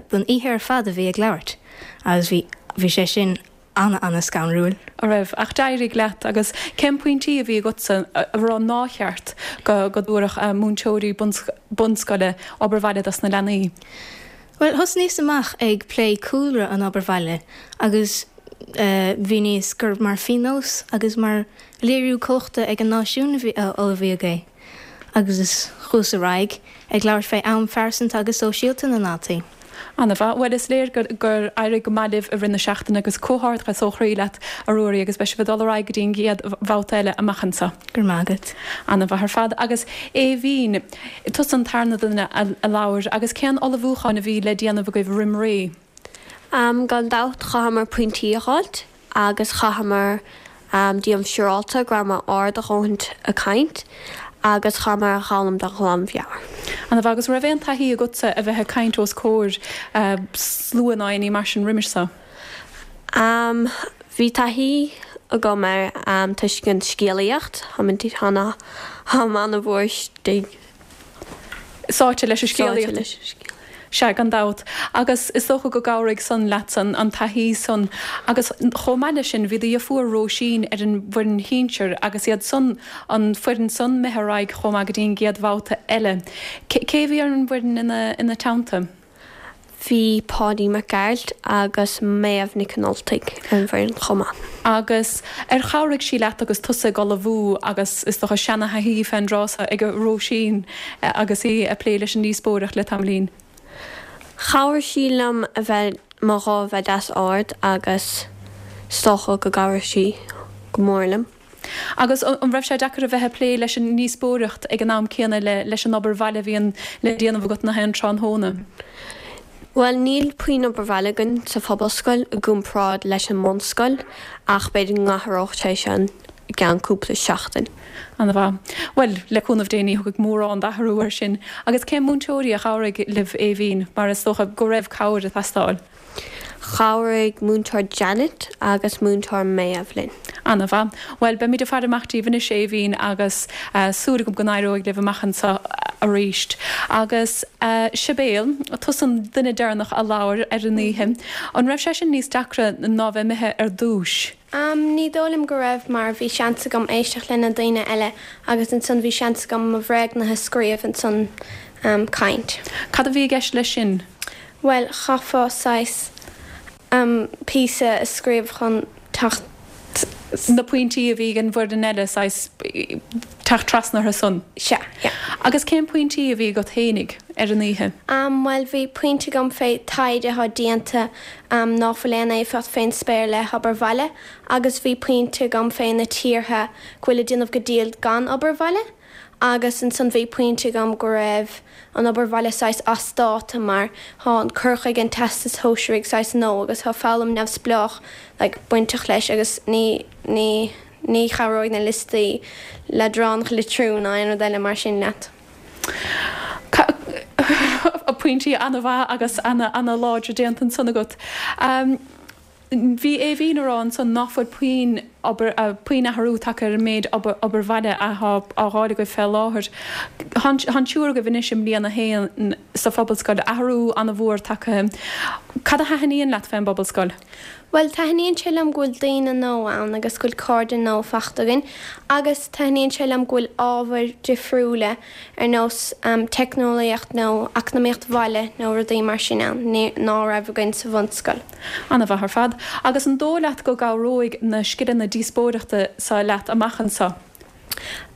don oíche ar fad a bhí ag labhairt agus bhí, bhí sé sin ana-ana-scanrúil. An raibh? Ach d'éirigh leat. Agus cén pointí a bhí agatsa a rá nár cheart go dtabharfadh múinteoirí bunscoile obair bhaile dos na leanaí? Bhuel, thosnaíos amach ag plé cúlra an obair bhaile agus mhíníos gur mar phíonós agus mar léiriú cumhachta ag an náisiún a ullmhaíodh é. Agus chuas ar aghaidh ag labhairt fé am phearsanta agus sóisialta na ndaltaí. Ana-mhaith. Bhuel, is léir gur éirigh go maith libh i rith na seachtaine agus comhghairdeachas ó chroí leat, a Ruairí, agus beidh sibh ag dul ar aghaidh go dtí an gcéad bhabhta eile amach anseo. Go raibh maith agat. Ana-mhaith ar fad. Agus Aoibhín, tusa an tarna duine a labhair, agus cén ullmhúchán a bhí le déanamh agaibh roim ré? Gan dabht, chaitheamar pointí a dh'fháilt agus chaitheamar déanamh siúrálta go rabhamar ard a dhóthaint ag caint agus chaitheamar a dh'fhoghlaim de ghlanmheabhair. Ana-mhaith. Agus an raibh aon taithí agatsa a bheith ag caint os comhair slua ná aon ní mar sin roimis seo? Bhí taithí agam air toisc an scéalaíocht, táim ana-mhór istigh. Sáite leis an scéalaíocht. Sea, gan dabht. Agus is dócha go gcabhraigh san leatsa, an taithí san. Agus chomh maith leis sin, bhí do dheirfiúr Róisín ar an bhfoireann shinsir agus iad san, an foireann san, imithe ar aghaidh chomh maith go dtí an gcéad bhabhta eile. Cé a bhí ar an bhfoireann ina teannta? Bhí Páidí Mac Gearailt agus Méabh Nic an Ultaigh ar an bhfoireann chomh maith. Agus ar chabhraigh sí leat agus tusa ag ullmhú agus is dócha seana-thaithí fén dtráth so ag Róisín agus í ag plé leis an ndíospóireacht le tamaillín? Chabhraigh sí liom a bheith, mo ghuth a bheith deas ard agus is dócha go gcabhraigh sí go mór liom. Agus an raibh sé deacair a bheith ag plé leis an ndíospóireacht ag an am céanna leis an obair bhaile a bhíonn le déanamh agat nach aon tráthnóna? Bhuel, níl puinn obair bhaile againn sa phobalscoil i gcomparáid leis an mbunscoil ach b'fhéidir go n-athródh sé sin i gceann cúpla seachtain. Ana-mhaith. Bhuel, le cúnamh Dé ní thiocfaidh mórán d'athrú air sin. Agus cén múinteoirí a chabhraigh libh, Aoibhín, mar is dócha go raibh cabhair ag teastáil? Chabhraigh Múinteoir Janet agus Múinteoir Méabh linn. Ana-mhaith. Bhuel, beimid ag faire amach díbh anois, Aoibhín, agus súil agam go n-éireoidh libh amach anseo arís. Agus Sibéal, tusa an duine deireanach a labhair ar an oíche. An raibh sé sin níos deacra ná bheith imithe ar dtúis? Ní dóigh liom go raibh mar bhí seans agam éisteacht le na daoine eile agus ansan bhí seans agam mo bhréagnuithe a scríobh ansan caint. Cad a bhí i gceist leis sin? Bhuel, chaithfeá saghas píosa a scríobh chun teacht. na pointí a bhí ag an bhfoireann eile, saghas teacht trasna orthu san. Sea, yeah. Agus cén pointí a bhí agat fhéinig ar an oíche? Bhuel, bhí pointe agam fé taighde atá déanta ná fuil aon éifeacht fén spéir le hobair bhaile agus bhí pointe agam fé na tíortha go bhfuil ag déanamh go diail gan obair bhaile. Agus ansan bhí pointe agam go raibh an obair bhaile saghas as dáta mar thá an cur chuige an Teastais Shóisearaigh saghas nua agus thá foghlaim neamhspleách like bainteach leis agus ní, ní, ní chabhróidh na liostaí leadránacha litriú ná aon rud eile mar sin leat. Pointí ana-mhaith agus ana, ana-láidre déanta ansan agat. Bhí Aoibhín a rá ansan ná fuil puinn obair, puinn athrú tagtha ar an méid obair bhaile athá á dh'fháil agaibh fé láthair. Thá an triúr agaibh anois i mbliain a haon sa phobalscoil, athrú ana-mhór tagtha. Cad a thaithníonn leat fén bpobalscoil? Bhuel, taitníonn sé liom go bhfuil daoine nua ann agus go bhfuil cairde nua fachta againn agus taitníonn sé liom go bhfuil ábhair difriúla ar nós teicneolaíocht nó eacnamaíocht bhaile nó rudaí mar sin ann ná raibh againn sa bhunscoil. An-mhaith ar fad. Agus an dóigh leat go gcabhróidh na scileanna díospóireachta seo leat amach anseo?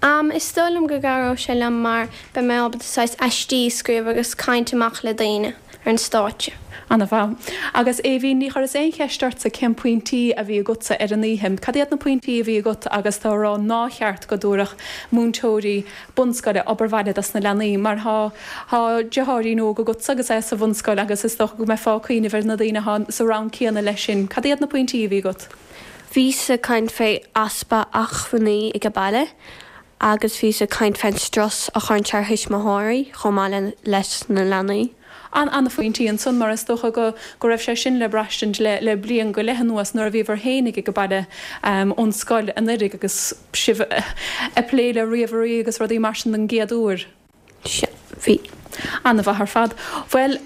Am, Is dóigh liom go gcabhróidh sé liom mar beidh mé ábalta saghas aistí a scríobh agus caint amach le daoine ar an stáitse. An-mhaith. Agus Aoibhín, ní chuireas aon cheist ortsa cén pointí a bhí agatsa ar an oíche. Cad iad na pointí a bhí agat agus tú a rá ná cheart go dtabharfadh múinteoirí bunscoile obair bhaile dos na leanaí mar thá thá deartháirín óg agatsa agus é sa bhunscoil agus is dócha go mbeifeá ag cuimhneamh ar na daoine athá sa rang céanna leis sin. Cad iad na pointí a bhí agat? Bhíos ag caint fé easpa achmhainní ag baile agus bhíos ag caint fén strus a chuireann sé ar thuismitheoirí chomh maith leis na leanaí. An-phointí ansan mar is dócha go go raibh sé sin le braistint le le bliain go leith anuas nuair a bhíobhair fhéinig ag baile ón scoil anuiridh agus sibh ag plé le ríomhairí agus rudaí mar sin don gcéad uair. Sea, bhí. An-mhaith ar fad. Bhuel,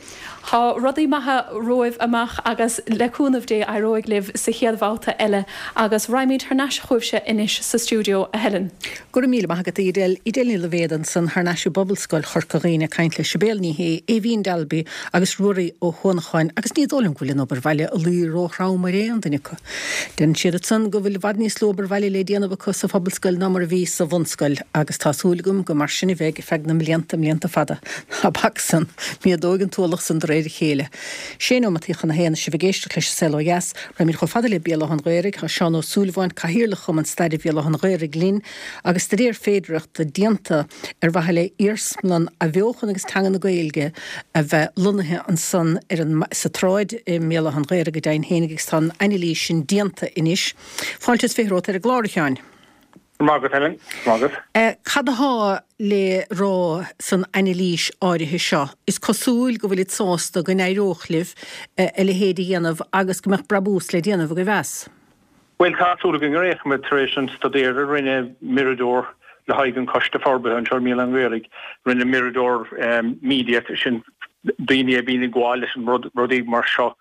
tá rudaí maithe romhaibh amach agus le cúnamh Dé éireoidh libh sa chéad bhabhta eile agus raghaimid thar n-ais chugaibhse anois sa stiúideo, a Helen. Go raibh míle maith agat, a Edel. Edel Ní Loibhéad ansan thar n-ais i bPobalscoil Chorca Dhuibhne ag caint le Sibéal Ní Shé, Aoibhín Dalby agus Ruairí Ó hUanacháin agus ní dóigh liom go bhfuil an obair bhaile ag luí róthrom ar aon duine acu. Deireann siad ansan go bhfuil i bhfad níos lú obair bhaile le déanamh acu sa phobalscoil ná mar a bhí sa bhunscoil agus tá súil agam gur mar sin a bheidh ar feadh na mblianta, mblianta fada. Ná bac san! Méadóidh an t-ualach san de réir a chéile. Sé nóimeataí chun a haon is sibh ag éisteacht leis An Saol Ó Dheas. Raghaimid chomh fada le Béal Átha an Ghaorthaidh. Tá Seán Ó Súilleabháin, Cathaoirleach Chumann Staire Bhéal Átha an Ghaorthaidh linn agus staidéar féidearthachta déanta ar mhaithe le iarsmalann athbheochan agus teanga na Gaeilge a bheith lonnaithe ansan ar an sa tsráid i mBéal Átha an Ghaorthaidh go deimhin féinig agus tá an anailís sin déanta anois. Fáilte is 20 romhat ar an gclár, a Sheáin. Go raibh maith agat, Helen. Go raibh maith agat. Cad athá le rá san anailís áirithe seo? Is cosúil go bhfuilid sásta go n-éireodh libh a leithéid a dhéanamh agus go mbeadh brabús le déanamh agaibh as. Bhuel, tá súil againn ar aon chuma, tar éis an staidéir a rinne Mirador le haghaidh an Choiste Forbartha anseo i mBéal Átha an Ghaorthaidh, rinne Mirador Media, sin daoine a bhíonn ag gabháil leis an rud, rudaí mar seo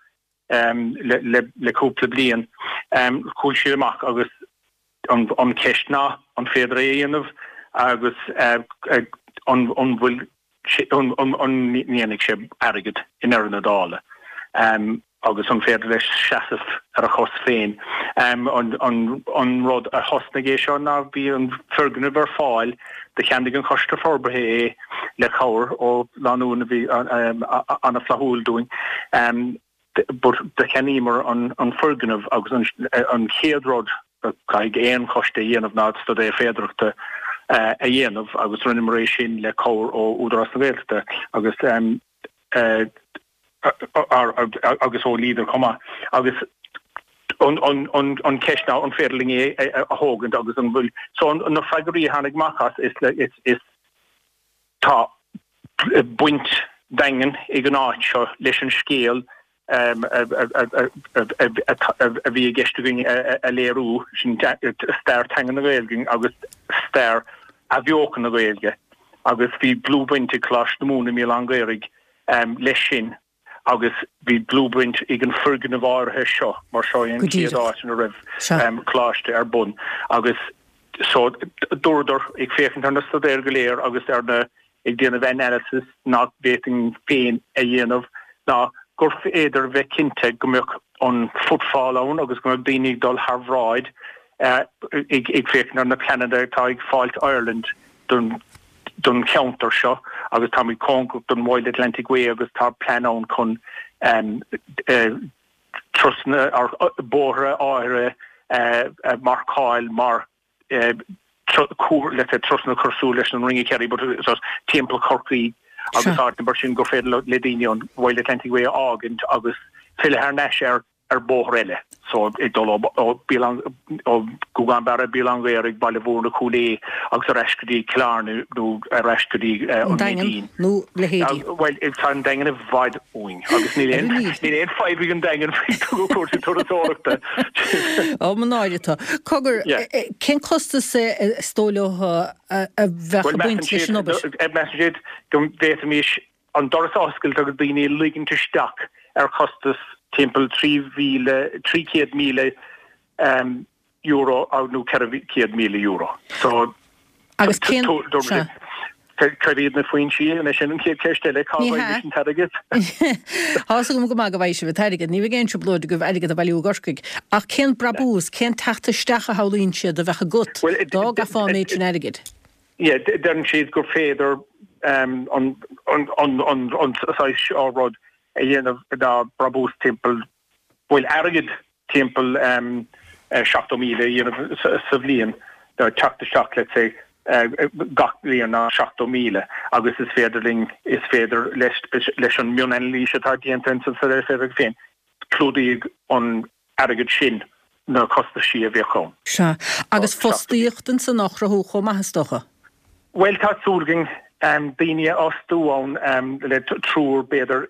le cúpla bliain, chuaigh siad amach agus an cheist ná an féidir é a dhéanamh agus an bhfuil an ndéanfaidh sé airgead i ndeireadh na dála agus an féidir leis seasamh ar a chos féin. An rud a thosnaigh é seo ná bhí an foirgneamh ar fáil, do cheannaigh an Coiste Forbartha é le cabhair ó lánúin a bhí an-fhlaithiúil dúinn. But do cheannaíomar an foirgneamh agus an chéad rud a caithfidh aon choiste a dhéanamh ná staidéar féidearthachta a dhéanamh agus rinneamar é sin le cabhair ó Údarás na Gaeltachta agus agus ó Leader chomh maith. Agus an cheist ná an féidir linn é a thógaint agus an bhfuil so na freagraí a tháinig amach as is is Tá baint daingean ag an áit seo leis an scéal a bhí i gceist againn a léiriú, sin stair teanga na Gaeilge agus stair athbheochan na Gaeilge agus bhí dlúthbhaint ag Coláiste na Mumhan i mBéal Átha an Ghaorthaidh leis sin. agus bhí dlúthbhaint ag an foirgneamh áirithe seo mar seo é an chéad áit ina raibh coláiste ar bun agus so dúradar ag féachaint ar na staidéir go léir agus ar na ag déanamh analysis nach bhféadfainn féin a dhéanamh ná gur féidir bheith cinnte go mbeadh an footfall ann agus go mbeadh daoine ag dul thar bhráid ag féachaint ar na pleananna atá ag Fáilte Ireland don don cheantar seo agus táimid cóngarach don Wild Atlantic Way agus tá plean ann chun turasanna ar bóithre áirithe a mharcáil mar let's say turasanna cosúil leis an Ring of Kerry but timpeall Chorcaí agus áiteanna mar sin gur féidir le daoine an Wild Atlantic Way a fhágaint agus filleadh thar n-ais ar ar bóthar eile so ag dul ó ó Gúgán Barra, Béal Átha an Ghaorthaidh, Baile Mhúirne, Cúil Aodha agus ar ais go dtí Cill Airne nó ar ais go dtí an Daingean nó leithéidí. Bhuel tá an Daingean i bhfad uainn agus níl aon níl aon fadhb ag an Daingean faoi chúrsaí turasóireachta. Ó mo náire atá. Cogar, cén costas is dóigh leo a bheadh ag baint leis an obair? Measann siad go bhféadfaimis an doras a oscailt agus daoine a ligint isteach ar chostas. timpeall 3,000, €300,000 nó €400,000. So, Agus cén, sea. Cad iad na foinsí? Anois sin an chéad cheist eile, cá Ní bhfaighimid hea. an t-airgead? Tá's agam go maith go bhfaighidh sibh an t-airgead, ní bheidh aon trioblóid agaibh airgead a bhailiú i gCorcaigh. Ach cén brabús, cén teacht isteach a shamhlaíonn siad a bheadh agat Bhuel, dá gcaithfeá an méid sin airgid? Yeah, deireann siad gur féidir an saghas seo rud a dhéanamh ná brabús timpeall, bhuel airgead timpeall 70,000 a dhéanamh sa bhliain, teacht isteach let's say gach bliain ná 70,000 agus is féidir linn, is féidir leis an mionanailís atá déanta insan sa féin, clúdaíodh an airgead sin na costaisí a bheadh ann. Sea. Agus fostaíocht ansan á chruthú chomh maith is dócha? Bhuel, tá súil againn daoine a fhostú ann le triúr b'fhéidir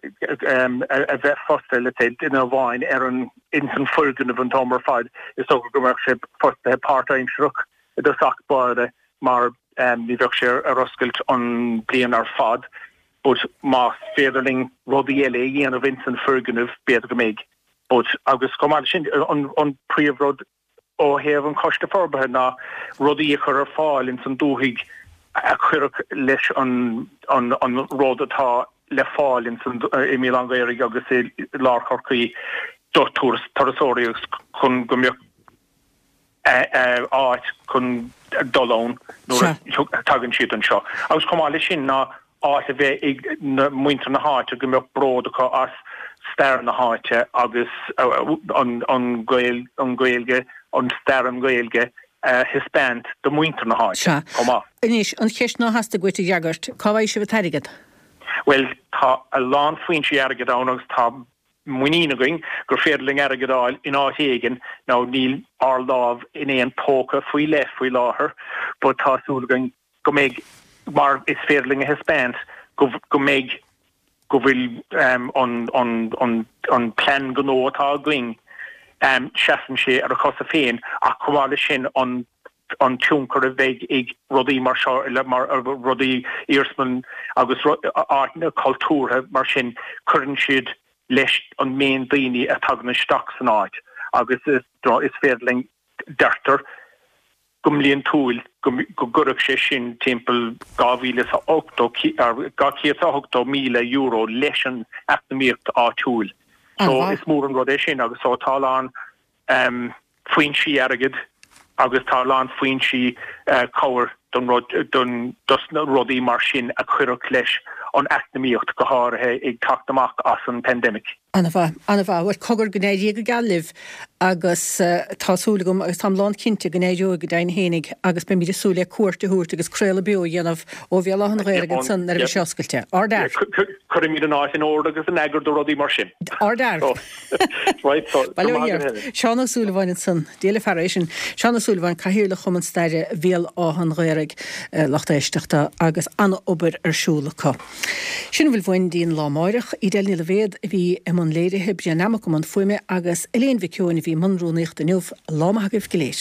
a bheith fostaithe, let's say, duine amháin ar an, ins an foirgneamh an t-am ar fad. Is dócha go mbeadh sé fostaithe páirtaimsearach i dtosach báire mar ní bheadh sé ar oscailt an bliain ar fad. But más féidir linn rudaí eile a dhéanamh ins an foirgneamh, b'fhéidir go mbeidh. But, agus chomh maith leis sin, an príomhrud ó thaobh an Choiste Forbartha ná rudaí a chur ar fáil ins an dúthaigh a chuirfeadh leis an an rud atá le fáil ins an i mBéal Átha an Ghaorthaidh agus i lár Chorcaí do turasóirí agus chun go mbeadh áit chun dul ann nuair a thagann siad anseo. Agus chomh maith leis sin ná áit a bheith ag muintir na háite go mbeadh bród acu as stair na háite agus an Ghaeilge, an stair an Ghaeilge a thaispeáint do mhuintir na háite chomh maith. Anois, an cheist ná theastaigh uait a fhreagairt, cá bhfaighidh sibh an t-airgead? Bhuel, tá a lán foinsí airgid ann agus tá muinín againn gur féidir linn airgead a fháil in áit éigin now níl ár lámh in aon póca faoi leith faoi láthair but tá súil againn go mbeidh mar is féidir linn a thaispeáint go go mbeidh go bhfuil an an an an plean gnó atá againn seasann sé ar a chosa féin ach chomh maith leis sin an an tionchar a bheidh ag rudaí mar seo, mar rudaí iarsmalann agus áiteanna cultúrtha mar sin, cuireann siad leis an méid daoine a thagann isteach san áit agus is féidir linn, deirtear, go mbliantúil go gcuirfeadh sé sin timpeall €280,000 leis an eacnamaíocht áitiúil. So is mór an rud é sin agus so tá a lán foinsí airgid agus tá a lán foinsí cabhair don rud, don, dos na rudaí mar sin a chuirfeadh leis an eacnamaíocht, go háirithe ag teacht amach as an pandemic. An-mhaith, an-mhaith. Bhuel, cogar, go n-éirí go geal libh agus tá súil agam agus táim lánchinnte go n-éireoidh go deimhin fhéinig agus beimid ag súil le cuairt a thabhairt agus craoladh beo a dhéanamh ó Bhéal Átha an Ghaorthaidh ansan nuair a bheidh sé oscailte. Ardfhear! Cuirfimid an áit in ord agus in eagar do rudaí mar sin. Ardfhear! Right, so, Bail ó Dhia ort. Seán Ó Súilleabháin ansan. Dia le fear é sin. Seán Ó Súilleabháin, Cathaoirleach Chumann Staire Bhéal Átha an Ghaorthaidh, lucht éisteachta, agus an-obair ar siúl acu. Sin a bhfuil uainn go dtí an lá amáireach. Edel Ní Loibhéad a bhí i mbun léirithe, Brian Nammock i mbun fuaime agus Elaine Mhic Eoin a bhí i mbun rúnaíochta inniu. Lá maith agaibh go léir.